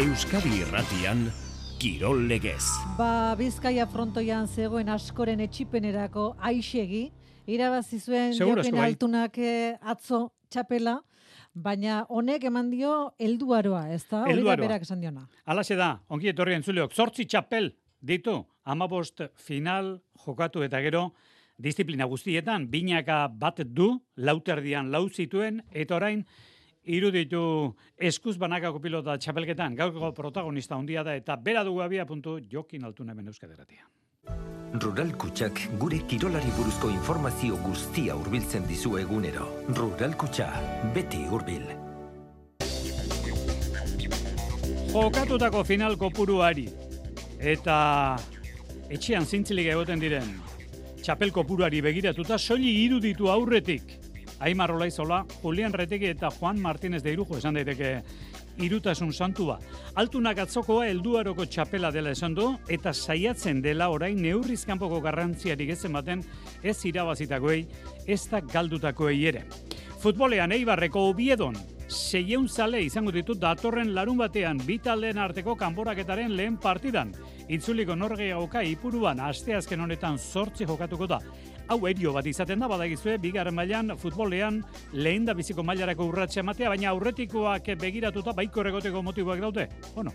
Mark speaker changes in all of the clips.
Speaker 1: Euskadi Irratian, Kirol Legez.
Speaker 2: Bizkaia frontoian zegoen askoren etxipenerako Aixegi, irabazi zuen Jokin Altunak atzo txapela, baina honek eman dio helduaroa, ez da? Hori da berak esan diona.
Speaker 3: Halaxe da, ongi etorri entzuleok, 8 txapel ditu, 15 final jokatu eta gero, disiplina guztietan, binaka bat du, lauterdian lau zituen, eta orain, iruditu eskuz banakako pilota txapelketan, gaurko protagonista handia da, eta bera dugu abia puntu Jokin Altuna hemen Euskadi Irratia.
Speaker 4: Rural Kutxak gure kirolari buruzko informazio guztia hurbiltzen dizu egunero. Rural Kutxa, beti hurbil.
Speaker 3: Jokatutako final kopuruari eta etxean zintzilik egoten diren txapel kopuruari begiratuta soili iruditu aurretik Aimar Olaizola, Julian Retegi eta Juan Martínez de Irujo esan daiteke irutasun santua. Altunak atzokoa helduaroko txapela dela esan du eta saiatzen dela orain neurriz kanpoko garrantziarik ez ematen ez irabazitakoei, ez da galdutakoei ere. Futbolean Eibarreko Obiedon 600 zale izango ditu datorren larun batean bi taldeen arteko kanporaketaren lehen partidan. Itzuliko norgehiagoka Ipuruan asteazken honetan 8 jokatuko da. Hau erio bat izaten da, badagizue, bigarren mailan futbolean lehen da biziko mailarako urratxe ematea, baina aurretikoak begiratuta baiko egoteko motiboak daude. Bueno,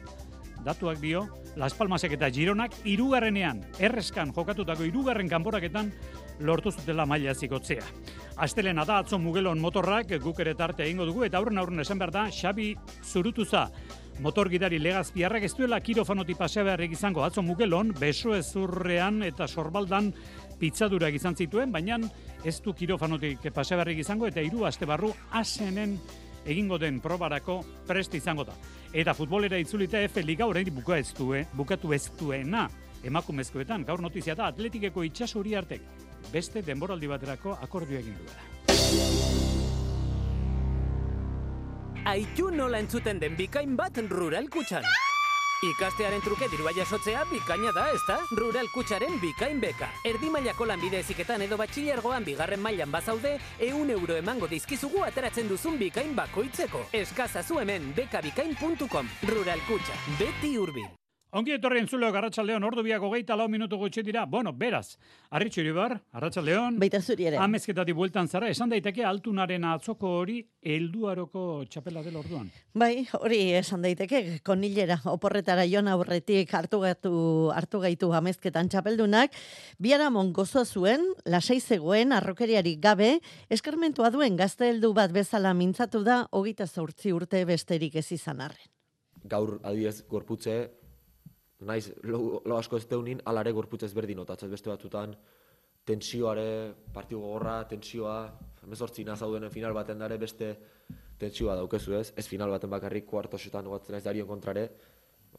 Speaker 3: datuak dio, Las Palmasek eta Gironak hirugarrenean, erreskan jokatutako hirugarren kanporaketan lortu zutela maila zikotzea. Astelena da atzo Mugelon motorrak guk ere tarte egingo dugu, eta aurren esan behar da, Xabi Zurutuza, motorgidari Legazpiarrak ez duela kirofanotik pasea beharrik izango atzo Mugelon, besoezurrean eta sorbaldan pitzadurak izan zituen, baina ez du kirofanotik pasea beharrik izango, eta 3 aste barru asenen egingo den probarako prest izango da. Eta futbolera itzulita F Liga oraindik bukatu ez duena emakumezkoetan. Gaur notizia da Atletikeko Itxaso Uriartek beste denboraldi baterako akordio egin duela.
Speaker 5: Aitu nola entzuten den bikain bat Rural Kutxan. Ikastearen truke dirua jasotzea bikaina da, ezta? Rural Kutxaren bikain beka. Erdi mailako lanbide heziketan edo batxilergoan bigarren mailan bazaude, 100 euro emango dizkizugu ateratzen duzun bikain bakoitzeko. Eskazazu hemen bekabikain.com. Rural Kutxa, beti hurbil.
Speaker 3: Ongi etorri entzuleok Arratsaldeon, ordu biak 24 minutu gutxi dira. Bueno, beraz, Arritxu Iribar, Arratsaldeon.
Speaker 6: Baita zuri ere.
Speaker 3: Amezketatik bueltan zara, esan daiteke Altunaren atzoko hori helduaroko txapela dela orduan.
Speaker 6: Bai, hori esan daiteke, konilera oporretara joan aurretik hartu gaitu amezketan txapeldunak, biharamon gozoa zuen, lasai zegoen, arrokeriarik gabe, eskarmentua duen gazte heldu bat bezala mintzatu da, 28 urte besterik ez izan arren.
Speaker 7: Gaur adibidez gorputze, naiz lo asko ez deunin, alare gorputz ezberdin notatzez beste batzutan, tentsioare, partidu gogorra, tentsioa, 18 nazaudenen final baten dare beste tentsioa daukezu ez, ez final baten bakarrik kuartosetan gogatzen ez darion kontrare,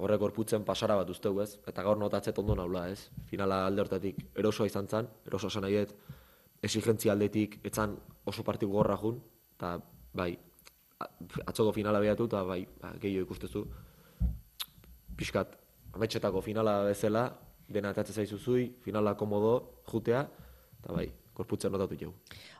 Speaker 7: horrek gorputzen pasara bat usteu ez, eta gaur notatzet ondo naula ez, finala alde hortatik erosoa izan zan, erosoa esan nahiet, exigentzia aldetik etzan oso partidu gogorra jun, eta bai, atzoko finala behatu, eta bai, gehiago ikustezu, pixkat, ametxetako finala bezala, dena atatzen zaizuzui, finala komodo, jutea, eta bai, korputzen notatu jau.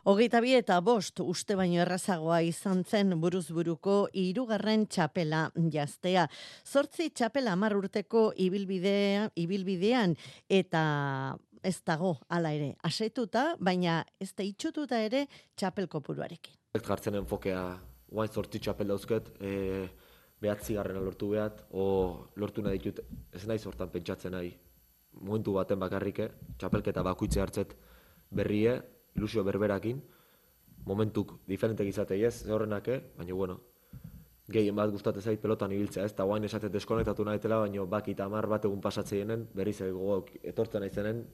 Speaker 6: 22 eta 5 uste baino errazagoa izan zen buruzburuko 3. txapela jaztea. 8 txapela 10 urteko ibilbidean eta ez dago hala ere asetuta, baina ez da itxututa ere txapel kopuruarekin.
Speaker 7: Jartzen enfokea, guain 8 txapel dauzket, behatzigarrena lortu behat, o lortu nahi ditut, ez nahi sortan pentsatzen nahi, momentu baten bakarrike, txapelketa bakuitze hartzet berrie, ilusio berberakin, momentuk diferentek izatei ez, horrenake, baina bueno, gehien bat gustatzen zait pelotan ibiltzea ez, eta guain esatet deskonektatu nahitela, baina bakita 10 bat egun pasatzeinen, berriz gogoak etortzen naizenen,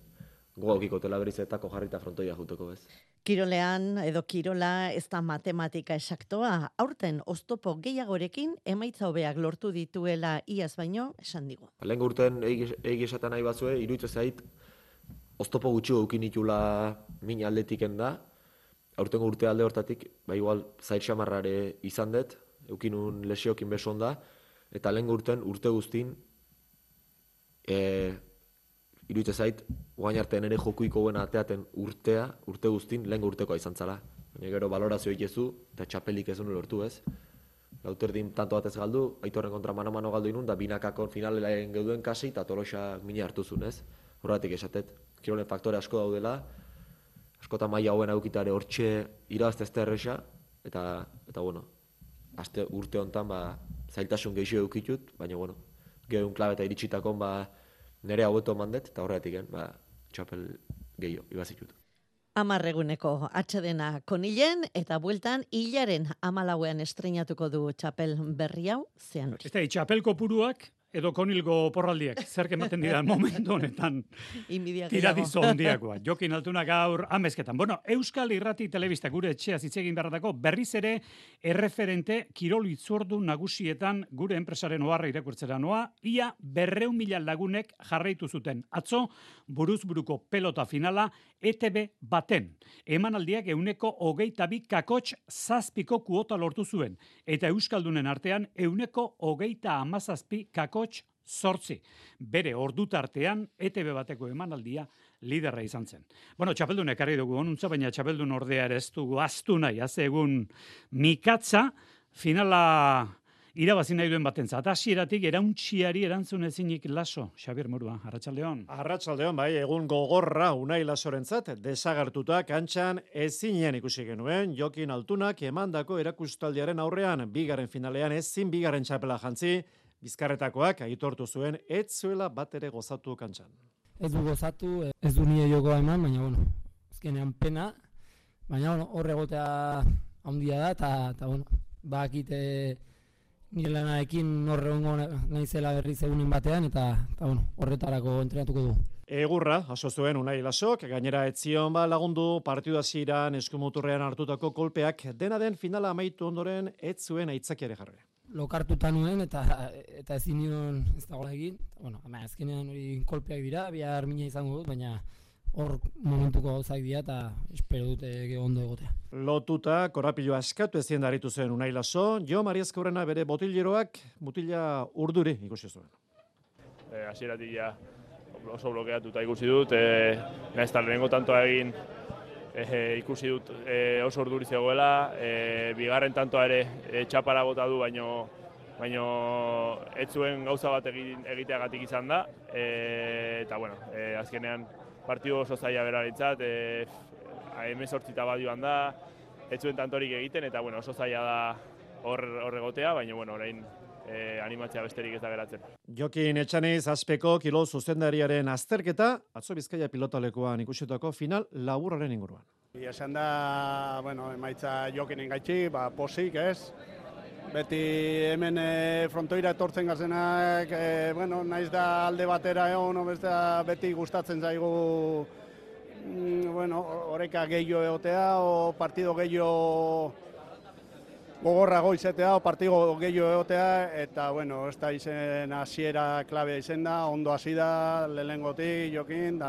Speaker 7: gogaukiko tela berriz etako jarrita frontoia juteko ez.
Speaker 6: Kirolean edo kirola ez da matematika esaktoa, aurten oztopo gehiagorekin emaitza hobeak lortu dituela iaz baino esan digu.
Speaker 7: Lehen urten egi esaten nahi batzue, iruditzen zait, oztopo gutxi eukin itula min aldetiken da, aurtengo urte alde hortatik, igual zait xamarrare izan dut, eukinun lesiokin beson da, eta lehen urten urte guztin, iruditzen zait, guain artean ere jokuiko buena ateaten urte guztin, lehen urtekoa izan zala. Baina gero balorazio ikezu, eta txapelik ezun lortu ez. Lauterdin tanto batez galdu, Aitorren kontra mano-mano galdu inun, da binakakon finalen geuduen kasi, eta Tolosak mina hartu zuen, ez? Horregatik esatet, kirolen faktore asko daudela, askota maila hauen aukitare hortxe irabazte ez da erresa, eta bueno, urte honetan, zailtasun gehiago eukitut, baina, bueno, gehun klabe eta iritsitakon, nire haueto mandet, eta horregatik, txapel gehiago, ibazitut.
Speaker 6: 10 eguneko atsedena Konilen eta bueltan hilaren 14ean estreinatuko du txapel berri hau Zeanuri.
Speaker 3: Ez da, txapel kopuruak edo Konilgo porraldiak, zer ematen dira momentu honetan tiradizo hondiakoa. Jokin Altuna gaur amezketan. Bueno, Euskal Irrati Telebista gure etxea zitzegin beharratako berriz ere erreferente kirol itzordu nagusietan gure enpresaren oharra irakurtzera noa, ia 200.000 lagunek jarraitu zuten. Atzo, buruzburuko pelota finala ETB baten. Emanaldiak 122 kuota lortu zuen. Eta Euskaldunen artean 127 kakotx 8. Bere ordutartean ETB bateko emanaldia liderra izan zen. Bueno, txapeldunek ekarri dugu onuntza, baina txapeldun ordea ere ez dugu aztu nahi, egun mikatza finala irabazi nahi duen batentzat. Hasieratik erauntziari erantzun ezinik Laso. Xabier Murua, Arratsaldeon.
Speaker 8: Arratsaldeon, bai, egun gogorra Unai Lasorentzat desagertuta kantxan ezinean ikusi genuen Jokin Altunak emandako erakustaldiaren aurrean bigarren finalean ezin bigarren txapela jantzi. Bizkarretakoak aitortu zuen ez zuela bat ere gozatu kantxan.
Speaker 9: Ez du gozatu, ez du nire jokoa eman, baina bueno, azkenean pena, baina bueno, hor egotea handia da eta bueno, bakite nire lanarekin horre hongo naizela berriz egunen batean eta bueno, horretarako entrenatuko du.
Speaker 8: Egurra, jaso zuen Unai Lasok, gainera etzion lagundu partidu hasieran eskumuturrean hartutako kolpeak dena den finala amaitu ondoren ez zuen aitzakiare jarri.
Speaker 9: Lokartuta nuen eta ezin nion ez dagoela egin. Bueno, azkenean hori kolpeak dira, bihar mina izango dut, baina hor momentuko gauzak dira eta espero dute ondo egotea.
Speaker 8: Lotuta, korapilo askatu ezin daritu zen Unai Laso, Jo Mariazkaurrena bere botileroak mutila urduri ikusi zuen.
Speaker 10: Hasieratik ja oso blokeatuta ikusi dut, nahiz eta lehenengo tantoa egin ikusi dut oso urduri zegoela, bigarren tantoa ere txapara bota du, baino ez zuen gauza bat egiteagatik izan da, eta bueno, azkenean partidu oso zaila beraritzat, 18 bat joan da, ez zuen tantorik egiten, eta bueno, oso zaila da hor egotea, baina bueno, orain animatzea besterik ez da geratzen.
Speaker 8: Jokin Etxaniz Azpeko kirol zuzendariaren azterketa, atzo Bizkaia pilotalekuan ikusitako final laburraren inguruan.
Speaker 11: Esan da, bueno, emaitza Jokinen gaitxi, posik, ez? Beti hemen frontoira etortzen gazenak, bueno, naiz da alde batera egon, beti gustatzen zaigu, bueno, oreka gehiago egotea, o partido gehiago gogorrago izatea, partido gehiago egotea, eta, bueno, ez da izen hasiera klabea izen da, ondo hasi da, lehenengotik Jokin,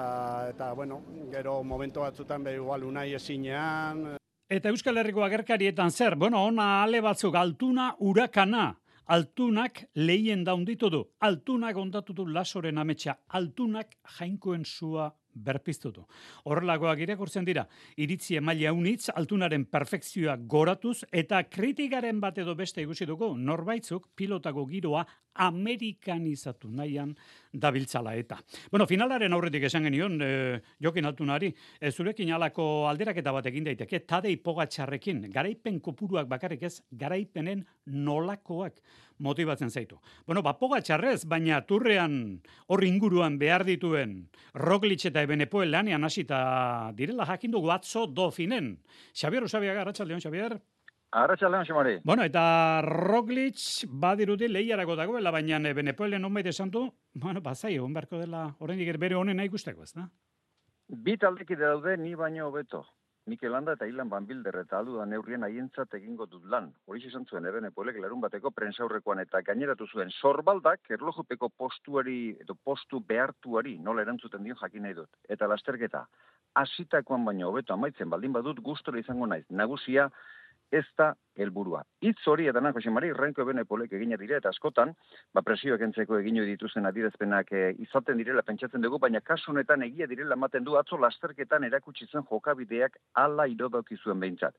Speaker 11: eta, bueno, gero momentu batzutan igual Unai ezinean.
Speaker 3: Eta Euskal Herriko agerkarietan zer? Bueno, ona ale batzuk, Altuna Urakana. Altunak lehien daunditu du. Altunak ondatu du Lasoren ametsa. Altunak jainkoen sua berpiztutu. Horrelakoak irakurtzen dira, iritzi emaile haunitz, Altunaren perfekzioa goratuz, eta kritikaren bat edo beste ikusi dugu, norbaitzuk pilotako giroa amerikanizatu nahian dabiltzala eta. Bueno, finalaren aurretik esan genion, Jokin Altunari, zurekin alako alderaketa bat egin daiteke, Tadej Pogačarrekin, garaipen kopuruak bakarrik ez, garaipenen nolakoak motibatzen zaitu. Bueno, Pogačarrez, baina turrean hor inguruan behar dituen Roglic eta Evenepoel lanean hasita direla jakin dugu atzo Dofinen. Xabier Usabiaga, Arratsaldeon, Xabier.
Speaker 12: Arratsaldeon, Xamari.
Speaker 3: Bueno, eta Roglic badirudi lehiarako dagoela, baina Evenepoelen nonbait esan du, bueno, bazai, egon beharko dela oraindik bere honena ikusteko, ez da?
Speaker 12: Bi taldekide daude ni baino hobeto. Mikel Landa eta Ilan Van Bilder eta aldudan neurrien haientzat egingo dut lan. Horixe esan zuen Evenepoelek larun bateko prentsaurrekoan eta gaineratu zuen sorbaldak erlojupeko postuari edo postu behartuari nola erantzuten dion jakin nahi dut. Eta lasterketa hasitakoan baino hobeto amaitzen baldin badut gustora izango naiz. Nagusia ez da helburua. Hitz hori eta Jose Mari Renko Evenepoelek egina dira eta askotan, presioak entzeko egin dituzten adierazpenak izaten direla pentsatzen dugu, baina kasu honetan egia direla ematen du atzo lasterketan erakutsi zen jokabideak hala irodauki zuen behintzat.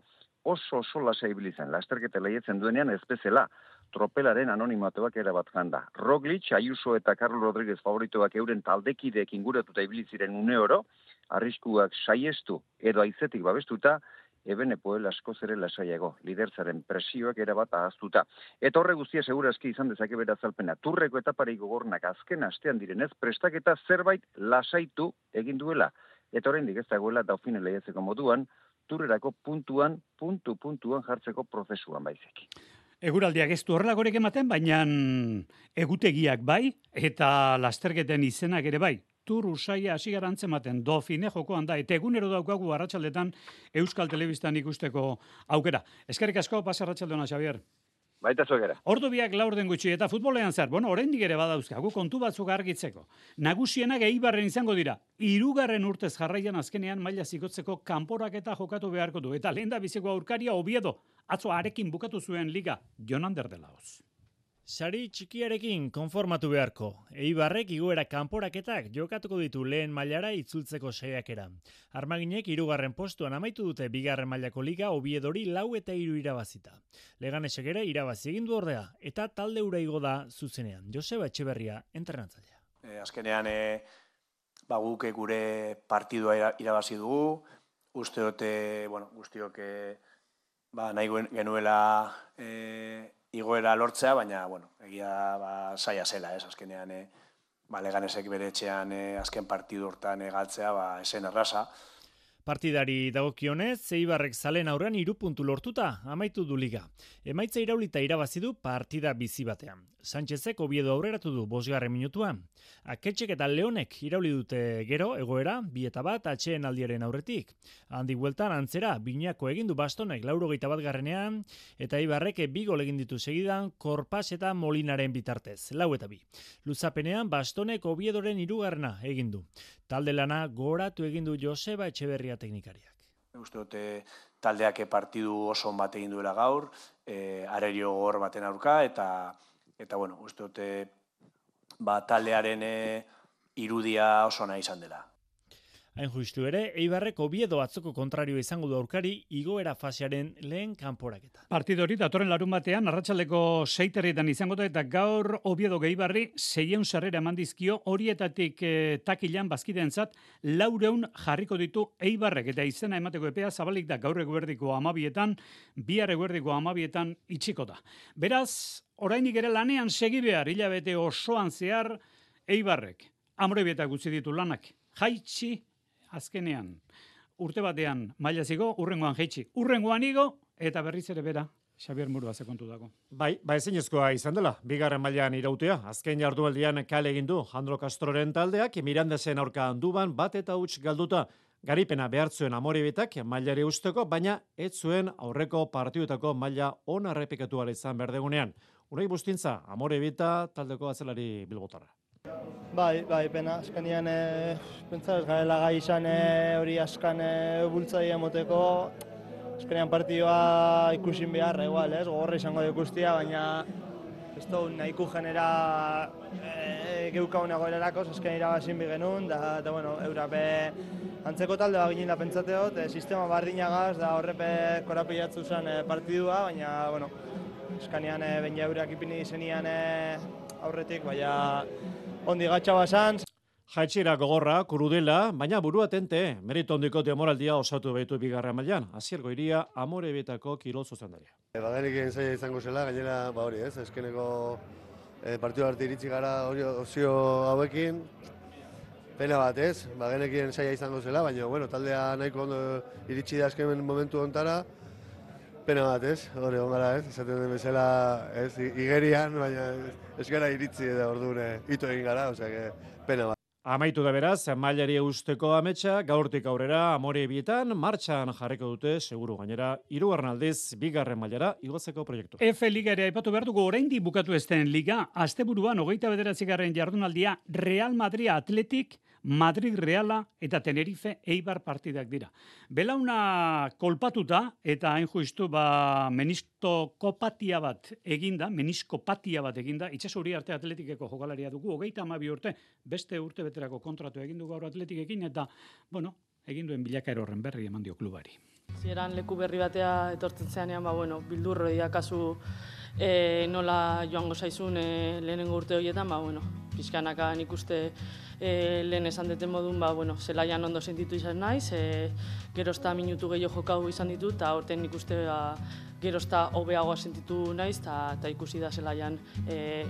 Speaker 12: oso lasa ibili zen. Lasterketa lehiatzen duenean ez bezala, tropelaren anonimatuak erabat janda. Roglic, Ayuso eta Carlos Rodríguez favoritoak euren taldekideek inguratuta ibili ziren une oro, arriskuak saiestu edo aizetik babestuta, Ebenepoel askoz ere lasaiago, liderzaren presioak erabat ahaztuta. Eta horre guztia segurazki izan dezake bere azalpena. Turreko etaparik gogornak azken astean direnez, prestaketa zerbait lasaitu egin duela. Eta oraindik ez dagoela Dauphin lehiatzeko moduan, turrerako puntuan jartzeko prozesuan baizik.
Speaker 3: Eguraldiak ez du horrelakorek ematen, baina egutegiak bai, eta lasterketen izenak ere bai. Tur usaia hasi gara antzematen, Dauphine jokoan da, eta egunero daukagu arratsaldetan Euskal Telebistan ikusteko aukera. Eskerrik asko, pasa arratsaldeona, Xabier.
Speaker 12: Baita zuekera.
Speaker 3: Ordu biak laurden gutxi, eta futbolean zer, oraindik ere badauzkagu kontu batzuk argitzeko. Nagusienak Eibarren izango dira, 3. urtez jarraian azkenean maila zikotzeko kanporaketa jokatu beharko du, eta lehen da biziko aurkaria Oviedo, atzo arekin bukatu zuen liga, Jonander de Laoz.
Speaker 13: Sari txikiarekin konformatu beharko. Eibarrek igoera kanporaketak jokatuko ditu lehen mailara itzultzeko saiakera. Armaginek 3. postuan amaitu dute 2. mailako liga Oviedori 4-3 irabazita. Leganesek ere irabazi egin du ordea eta talde hura igo da zuzenean. Joseba Etxeberria entrenatzailea.
Speaker 14: Azkenean guk gure partidua irabazi dugu. Uste dute, guztiok nahi genuela igoera lortzea, baina, egia saia zela, azkenean, Leganesek bere etxean azken partidu hortan galtzea, esen erraza.
Speaker 13: Partidari dagokionez, Eibarrek zalen aurrean 3 puntu lortuta, amaitu du liga. Emaitza iraulita irabazi du partida bizi batean. Sánchezek Oviedo aurreratu du 5. minutuan. Aketxek eta Leonek irauli dute gero, egoera, 2-1 atxeen aldiaren aurretik. Handik bueltan antzera, Binako egin du Bastonek 81. eta Eibarrek 2 gol egin ditu segidan, Korpas eta Molinaren bitartez, 4-2. Luzapenean, Bastonek Oviedoren 3. egin du. Talde lana goratu egin du Joseba Etxeberria teknikariak.
Speaker 14: Uste dute taldeak partidu oso on bat egin duela gaur, arerio gogor baten aurka, eta uste dute taldearen irudia oso nahi izan dela.
Speaker 13: Hain justu ere, Eibarrek Oviedo atzoko kontrario izango du aurkari igoera fasearen lehen kanporaketa.
Speaker 3: Partidori datorren larun batean, arratsaldeko 6:00 izango da, eta gaur Oviedo Eibarri 600 sarrera eman dizkio, horietatik takilan bazkideentzat 400 jarriko ditu Eibarrek, eta izena emateko epea zabalik da gaur eguerdiko 12:00, bihar eguerdiko 12:00 itxiko da. Beraz, orainik ere lanean segi behar, hilabete osoan zehar Eibarrek. Amorebieta gutxi ditu lanak, jaitsi azkenean, urte batean maila zigo, urrengoan jaitsi. Urrengoan igo, eta berriz ere bera, Xabier Murua zekontu dago.
Speaker 8: Bai, ezinezkoa izan dela, 2. mailan irautea. Azken jardunaldian kale egin du Jandro Castroren taldeak, Mirandesen aurka Anduban 1-0 galduta. Garipena behartzuen Amorebietak mailari usteko, baina ez zuen aurreko partiduetako maila ona errepikatu ala izan berdegunean. Unai Bustintza, Amorebieta taldeko atzelari bilbotarra.
Speaker 15: Bai, pena, azkenean pentsa ez garela gai izan hori askan bultzaia moteko, azkenean partidua ikusin beharra, igual, gogorra izango da ikustia, baina ez du nahiku genera geukaunago erarako, azkenean irabazin bi genuen, da eurape antzeko talde bat ginen da pentsateot, sistema bardinagaz, da horrepe korapilatzu zen partidua, baina, azkenean baina eurak ipini zenian aurretik, baina ondi gatsa basan.
Speaker 8: Jaitxera gogorra, kurudela, baina burua tente, merito ondiko demoraldia osatu behitu 2. mailan. Asier Goiria, Amorebietako kirol zuzendaria.
Speaker 16: Bagenekin zaila izango zela, gainera, hori ez, eskeneko partidu arte iritsi gara osio hauekin, pena bat ez, bagenekin zaila izango zela, baina, taldea nahiko ondo iritsi da esken momentu ontara, pena bat ez, hori ongara ez, esaten den bezala ez, igerian, baina ez gara iritsi eta orduan ito egin gara, osea, pena bat.
Speaker 8: Amaitu da beraz, mailari usteko ametsa, gaurtik aurrera Amorebietan martxan jarriko dute, seguru gainera, 3. aldiz 2. mailara igotzeko proiektu.
Speaker 3: F Liga ere aipatu behar dugu oraindik bukatu ez den liga, asteburuan 29. jardunaldia Real Madrid Athletic, Madrid Reala eta Tenerife Eibar partidak dira. Belauna kolpatuta eta hain justu meniskopatia bat eginda, itxaso arte Atletikeko jokalaria dugu, 32 urte, beste urte beterako kontratu egin du gaur Atleticekin, eta, egin duen bilakaera horren berri eman dio klubari.
Speaker 17: Zieran leku berri batea etortzen zeanean, bildurro kasu nola joango zaizun lehenengo urte horietan, pixkanaka nik uste lehen esan deten modun, zelaian ondo sentitu izan naiz, gerozta minutu gehiago jokau izan ditut, eta horten nik uste gerozta hobeagoa sentitu naiz, eta ikusi da zelaian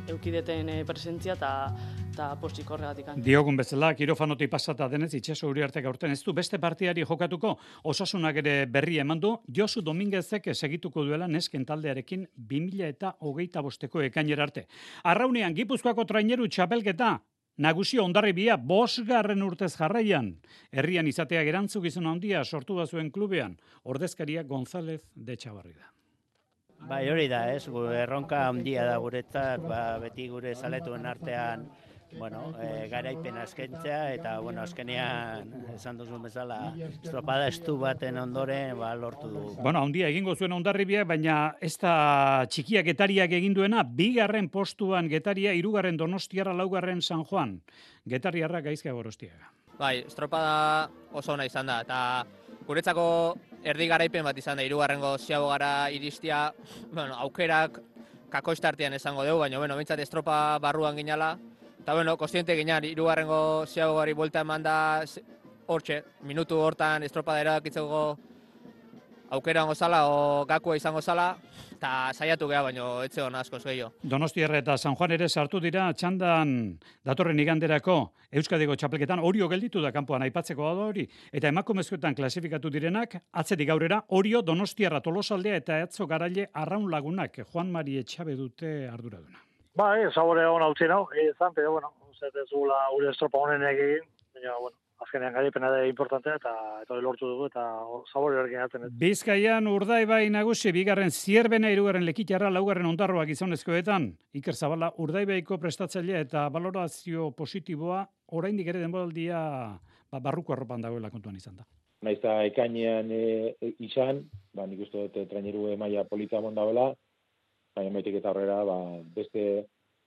Speaker 17: eukideten presentzia, eta postik horregatik.
Speaker 3: Diogun bezala, kirofanotik pasata denez, Itxaso Uriartek aurten ez du beste partiari jokatuko, Osasunak ere berri eman du, Josu Dominguezek segituko duela nesken taldearekin 2025ko ekainera arte. Arraunean, Gipuzkoako traineru txapelketa, nagusi Hondarribia 5. urtez jarraian, herrian izatea erantzukizun handia sortu da zuen klubean, ordezkaria González de Etxabarria.
Speaker 18: Bai, hori da, erronka handia da guretzat, beti gure zaletuen artean, garaipen askentzea, eta, azkenean, esan duzun bezala, estropada estu baten ondoren, lortu dugu.
Speaker 3: Handia egingo zuen Hondarribia, baina ez da txikia Getariak egin duena, 2. postuan Getaria, 3. Donostiarra, 4. San Juan. Getariarra gaizka Gorostiaga.
Speaker 19: Bai, estropada oso ona izan da, eta guretzako erdi garaipen bat izan da, 3. ziago gara iristia, aukerak kakoistartean esango dugu, baina, bintzat estropa barruan ginala, eta, kostiente ginean, 3. ziago gari buelta eman da, hortxe, minutu hortan estropada erakitzeko aukera ongo zala, o gakua izango zala, eta saiatu geha, baina etxe hona askoz gehiago.
Speaker 3: Donostiarra eta San Juan ere sartu dira txandan datorren iganderako Euskadiko txapelketan, Orio gelditu da kanpoan aipatzeko da hori, eta emakumezkoetan klasifikatu direnak, atzetik aurrera, Orio, Donostiarra, Tolosaldea eta Atzo Garaile Arraun Lagunak, Juan Mari Etxabe dute arduraduna.
Speaker 20: Sabore hona utzi nau, izan, pero ez gula gure estropa honen egin, baina, azkenean garaipena da importantea, eta hori lortu dugu, eta sabore horrekin atzen.
Speaker 3: Bizkaian Urdaibai nagusi, 2. Zierbena, 3. Lekitarra, 4. Ondarroa gizonezkoetan, Iker Zabala, Urdaibaiko prestatzailea eta valorazio positiboa, oraindik ere denboraldia barruko arropan dagoela kontuan izan da.
Speaker 21: Naiz eta ekainean izan, nik uste dut traineru maila polita mondabela, baina maitik eta horrera, beste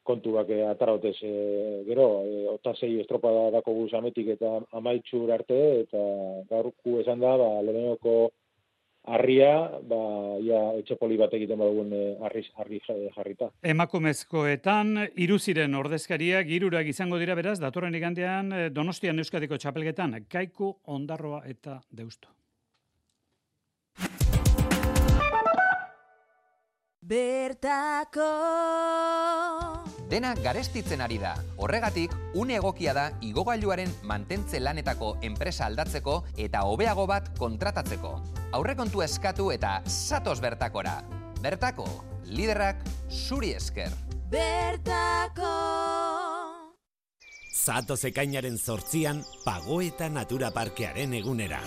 Speaker 21: kontuak atarotez gero, 6 estropada dako guz ametik eta amaitxur arte, eta gaurku esan da, lehenoko harria, etxepoli bat egiten badugun harri jarrita.
Speaker 3: Emakumezkoetan, 3 ziren ordezkariak, 3 izango dira beraz, datorren igandean Donostian Euskadiko txapelketan, Kaiku, Ondarroa eta Deusto.
Speaker 22: Bertako
Speaker 23: Dena garestitzen ari da. Horregatik, une egokia da igogailuaren mantentze lanetako enpresa aldatzeko eta hobeago bat kontratatzeko. Aurrekontu eskatu eta zatoz Bertakora. Bertako, liderrak zuri esker.
Speaker 22: Bertako
Speaker 1: Zatoz ekainaren 8an, Pagoeta Natura Parkearen egunera.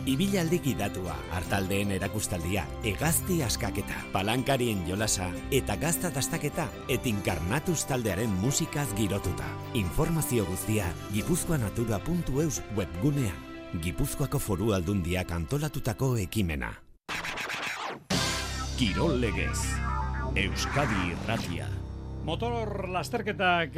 Speaker 1: Ibilaldi gidatua, hartaldeen erakustaldia, hegazti askaketa, palankarien jolasa eta gazta dastaketa etinkarnatuz taldearen musikaz girotuta. Informazio guztia gipuzkoanatura.eus webgunean. Gipuzkoako Foru Aldundiak antolatutako ekimena. Kirol legez, Euskadi Irratia.
Speaker 3: Motor lasterketak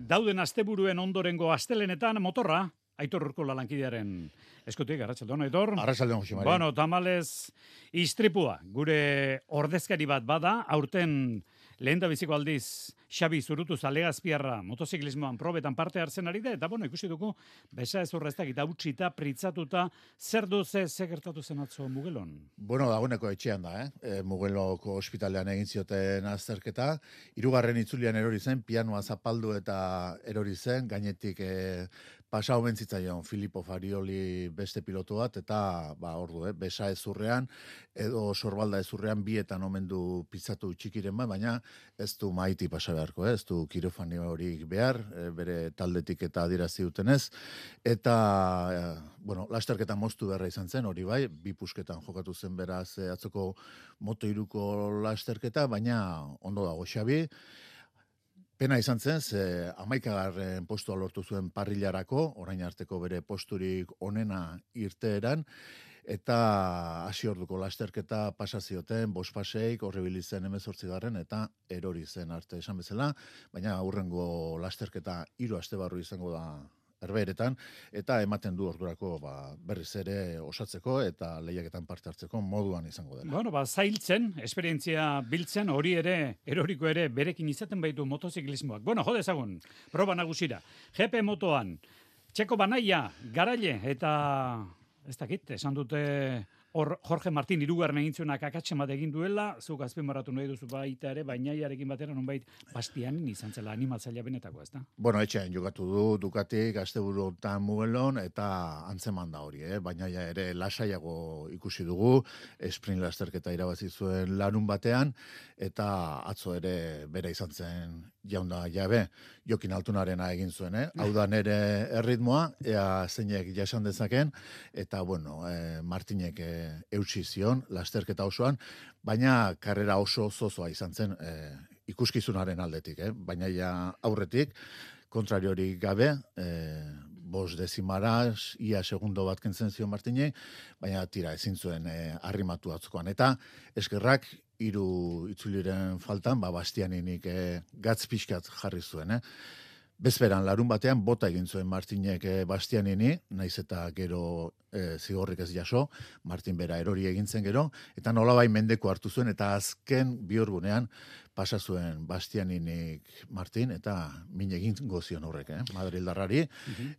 Speaker 3: dauden asteburuen ondorengo astelenetan motorra, Aitor Urkola lankidearen eskutik, arratsaldon, Aitor.
Speaker 24: Arratsaldon, Jose Mari.
Speaker 3: Tamalez, istripua, gure ordezkari bat bada, aurten lehendabiziko aldiz Xabi Zurutu Zalegazpiarra motoziklismoan probetan parte hartzen ari da, eta ikusi dugu, besa ezurra ez dakit, hautsita, pritzatuta, zer du ze gertatu zen atzo Mugelon?
Speaker 24: Dagoeneko etxean da, Mugeloko ospitalean egin zioten azterketa, 3. itzulian erori zen, pianoa zapaldu eta erori zen, gainetik pasau bentzitzaion Filippo Farioli beste pilotu bat, eta besa ezurrean, edo sorbalda ezurrean bietan omen du pizzatu txikiren bat, baina ez du maiti pasa beharko, ez du kirofani horik behar, bere taldetik eta adirazi dutenez, eta, lasterketa moztu beharra izan zen, hori bai, 2 pusketan jokatu zen beraz atzoko Moto3ko lasterketa, baina ondo dago Xabi. Pena izan zen, 11. postua lortu zuen parrilarako, orain arteko bere posturik onena irteeran, eta hasi orduko lasterketa pasazioten, 5 faseik, horrebili zen 18. eta erori zen arte esan bezala, baina aurrengo lasterketa 3 aste barru izango da Herbeheretan, eta ematen du ordurako berriz ere osatzeko eta lehiaketan parte hartzeko moduan izango dela.
Speaker 3: Bueno, zailtzen, esperientzia biltzen, hori ere, eroriko ere, berekin izaten baitu motoziklismoak. Bueno, jode ezagun, proba nagusira. GP motoan, Txeko Banaia, garaile, eta ez dakit, esan dute Jorge Martin hirugarren egin zuenak akatsen bat egin duela, zuk azpimarratu nahi duzu baita ere, Bainaiarekin batera nonbait Bastianin izan zela animatzailea benetako, ezta?
Speaker 24: Bueno, etxean jokatu du Ducatik, asteburu honetan Mugelon, eta antzeman da hori, Bainaia ere lasaiago ikusi dugu, sprint lasterketa irabazi zuen larun batean, eta atzo ere bera izan zen jaunda jabe, Jokin Altunarena egin zuen, hau da nere erritmoa, ea zeinek jasan dezaken, eta bueno, Martinek eutsi zion, lasterketa osoan, baina karrera oso zozoa izan zen ikuskizunaren aldetik, baina ja aurretik, kontrariorik gabe, 5 dezimara, ia segundo bat kentzen zion Martinei, baina tira ezin zuen arrimatu atzokoan. Eta eskerrak, 3 itzuliren faltan, Bastianinik gatz pixkat jarri zuen, Bezperan, larun batean, bota egin zuen Martinek Bastianini, naiz eta gero zigorrik ez jaso, Martin bera erori egintzen gero, eta nolabai mendeko hartu zuen, eta azken bihurgunean pasa zuen Bastianinik Martin, eta min egin gozion horrek, Madrildarrari,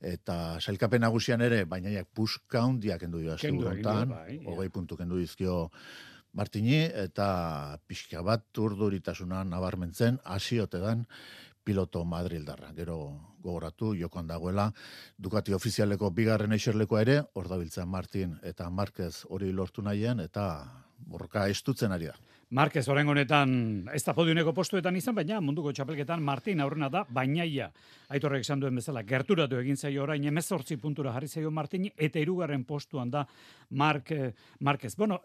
Speaker 24: eta sailkapen nagusian ere, Bainaiak puska hundiak kendu dio asteburontan, 20 puntu kendu dizkio Martini, eta pixka bat urduritasuna nabarmentzen, hasiotedan, piloto Madrildarra. Gero gogoratu, jokoan dagoela, Ducati ofizialeko bigarren eixerlekoa ere, hor dabiltzen Martin eta Marquez hori lortu nahien, eta borroka estutzen ari da.
Speaker 3: Marquez orain honetan ez da podiumeko postuetan izan, baina munduko txapelketan Martin aurrena da, Bainaia. Aitorrek esan duen bezala, gerturatu egin zaio orain 18 puntura jarri zaio Martini, eta 3. postuan da Marquez. Bueno,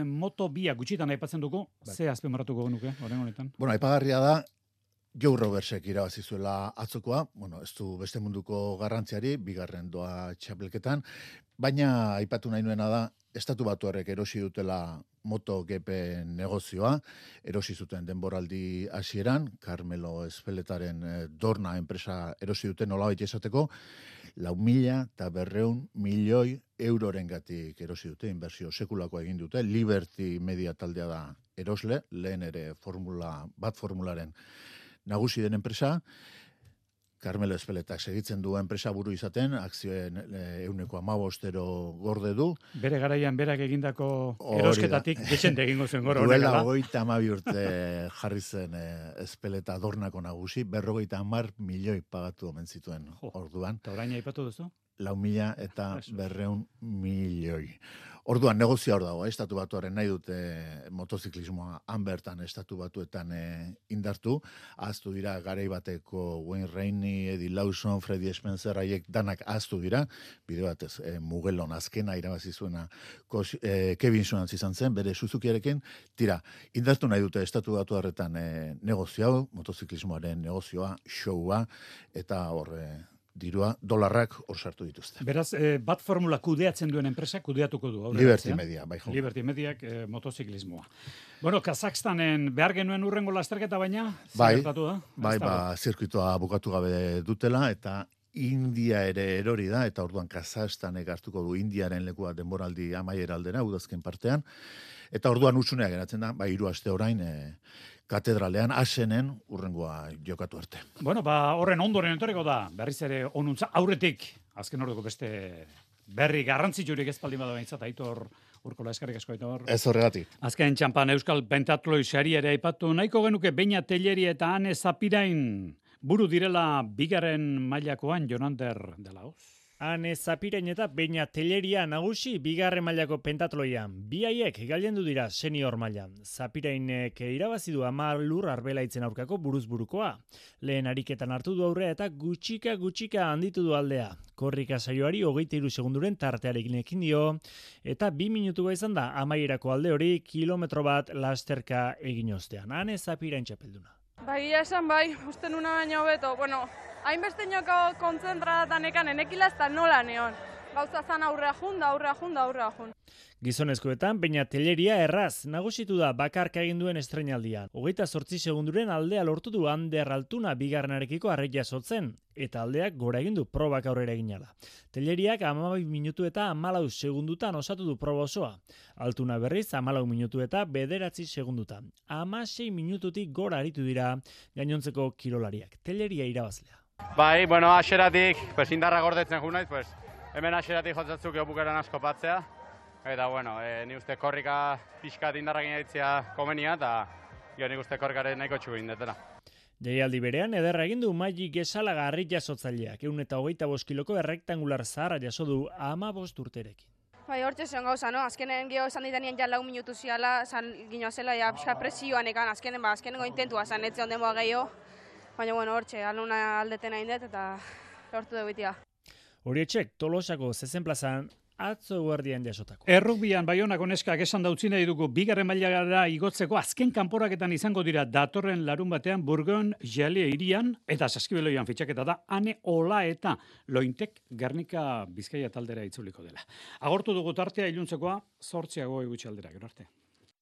Speaker 3: moto bia gutxitan aipatzen dugu, ze azpimarratuko genuke orain honetan?
Speaker 24: Bueno, aipagarria da, Joe Robertsek irabazi zuela atzokoa, bueno, ez du beste munduko garrantziari, bigarren doa txapelketan, baina aipatu nahi nuena da, Estatu Batuarrek erosi dutela MotoGP negozioa, erosi zuten denboraldi hasieran, Carmelo Espeletaren Dorna enpresa erosi duten nolabait esateko, 400 milioi eurorengatik erosi dute, inbertsio sekulako egin dute, Liberty Media taldea da erosle, lehen ere formularen nagusi den enpresa, Carmelo Espeletak segitzen du enpresa buru izaten, akzioen 15% gorde du.
Speaker 3: Bere garaian berak egindako erosketatik dexente egingo zen gora
Speaker 24: honekala. Duela 32 urte jarri zen Espeleta Dornako nagusi, 50 milioi pagatu omen zituen orduan.
Speaker 3: Eta orain aipatu duzu?
Speaker 24: 400 milioi. Orduan, negozia hor dago, Estatu Batuaren nahi dute motoziklismoa hanbertan Estatu Batuetan indartu. Ahaztu dira garai bateko Wayne Rainey, Eddie Lawson, Freddie Spencer, haiek danak ahaztu dira. Bide batez, Mugelon azkena irabazi zuena Kevin Schwantz izan zen, bere Suzukiarekin. Tira, indartu nahi dute Estatu Batuarretan negozio hau, motoziklismoaren negozioa, showa, eta horre dirua, dolarrak hor sartu dituzte.
Speaker 3: Beraz, bat formula kudeatzen duen enpresa kudeatuko du.
Speaker 24: Liberty Media, bai jo.
Speaker 3: Liberty Mediak motoziklismoa. Bueno, Kazakstanen behar genuen urrengo lasterketa baina, zertatu da?
Speaker 24: Bai, zirkuitoa bukatu gabe dutela, eta India ere erori da, eta orduan Kazakstanek hartuko du Indiaren lekua denboraldi amaiera aldera, udazken partean, eta orduan utxunea geratzen da, 3 aste orain, katedralean, Asenen, urrengoa jokatu arte.
Speaker 3: Bueno, horren ondoren entoreko da, berriz ere onuntza, aurretik, azken orduko beste berri garrantzitsurik ezpaldin bada behintzat, Aitor Urkola, eskarrik asko, Aitor.
Speaker 24: Ez horregatik.
Speaker 3: Azken txampan Euskal Pentatloi sari ere aipatu, nahiko genuke Beña Telleri eta Ane Zapirain buru direla bigarren mailakoan Jonander dela hoz.
Speaker 13: Ane Zapirain eta Beña Telleria nagusi bigarren mailako pentatloian. Bi haiek gailendu dira senior mailan. Zapirainek irabazi du 10 lur Arbelaitzen aurkako buruzburukoa. Lehen ariketan hartu du aurrea eta gutxika handitu du aldea. Korrika saioari 23 segunduren tartearekin ekin dio eta 2 minutua izan da amaierako alde hori kilometro bat lasterka egin ostean. Ane Zapirain txapelduna.
Speaker 2: Bai, esan bai, uste nuna baino hobeto. Bueno, hainbeste inoko kontzentratan ekan enekila ez da nola neon. Gauza zan aurrea jun.
Speaker 13: Gizonezkoetan, baina Telleria erraz nagusitu da bakarka egin duen estreinaldian. 28 segunduren aldea lortu du Ander Altuna bigarrenarekiko arreia sotzen, eta aldeak gora egin du probak aurrera eginala. Telleriak 12 minutu eta 14 segundutan osatu du proba osoa. Altuna berriz 14 minutu eta 9 segundutan. 16 minututik gora aritu dira gainontzeko kirolariak. Telleria irabazlea.
Speaker 4: Bai, bueno, aseratik, indarra gordetzen ju naiz, hemen aseratik jotzatzuk bukaeran asko patzea. Eta, bueno, ni uste korrika pixkat indarrak inaitzea komenia, eta nik uste korrikaren nahiko txugu indetela.
Speaker 13: Jaialdi berean, ederra egin du Maili Gesalaga arrit jasotzaileak, 125 kiloko errektangular zaharra jaso du 15 urterekin.
Speaker 2: Bai, hortxe zen gauza, no? Azkenen geho esan ditanien ja 4 minutu ziala, ginoa zela, ja, pixka presioan ekan, azkenengo intentua zan, etze onden boa gehiago. Baina, bueno, hortxe, aluna aldeten hain dut, eta lortu dugu itia.
Speaker 13: Horietxek, Tolosako zezen plazan, atzo guardian jasotako.
Speaker 3: Errugbian Baionako neskak esan dautzi nahi dugu bigarren mailara igotzeko azken kanporaketan izango dira datorren larun batean Burgon Jale hirian eta Saskibeloian fitxaketa da Ane Ola eta Lointek Gernika Bizkaia taldera itzuliko dela. Agortu dugu tartea iluntzekoa 8 gutxi aldera, gero arte.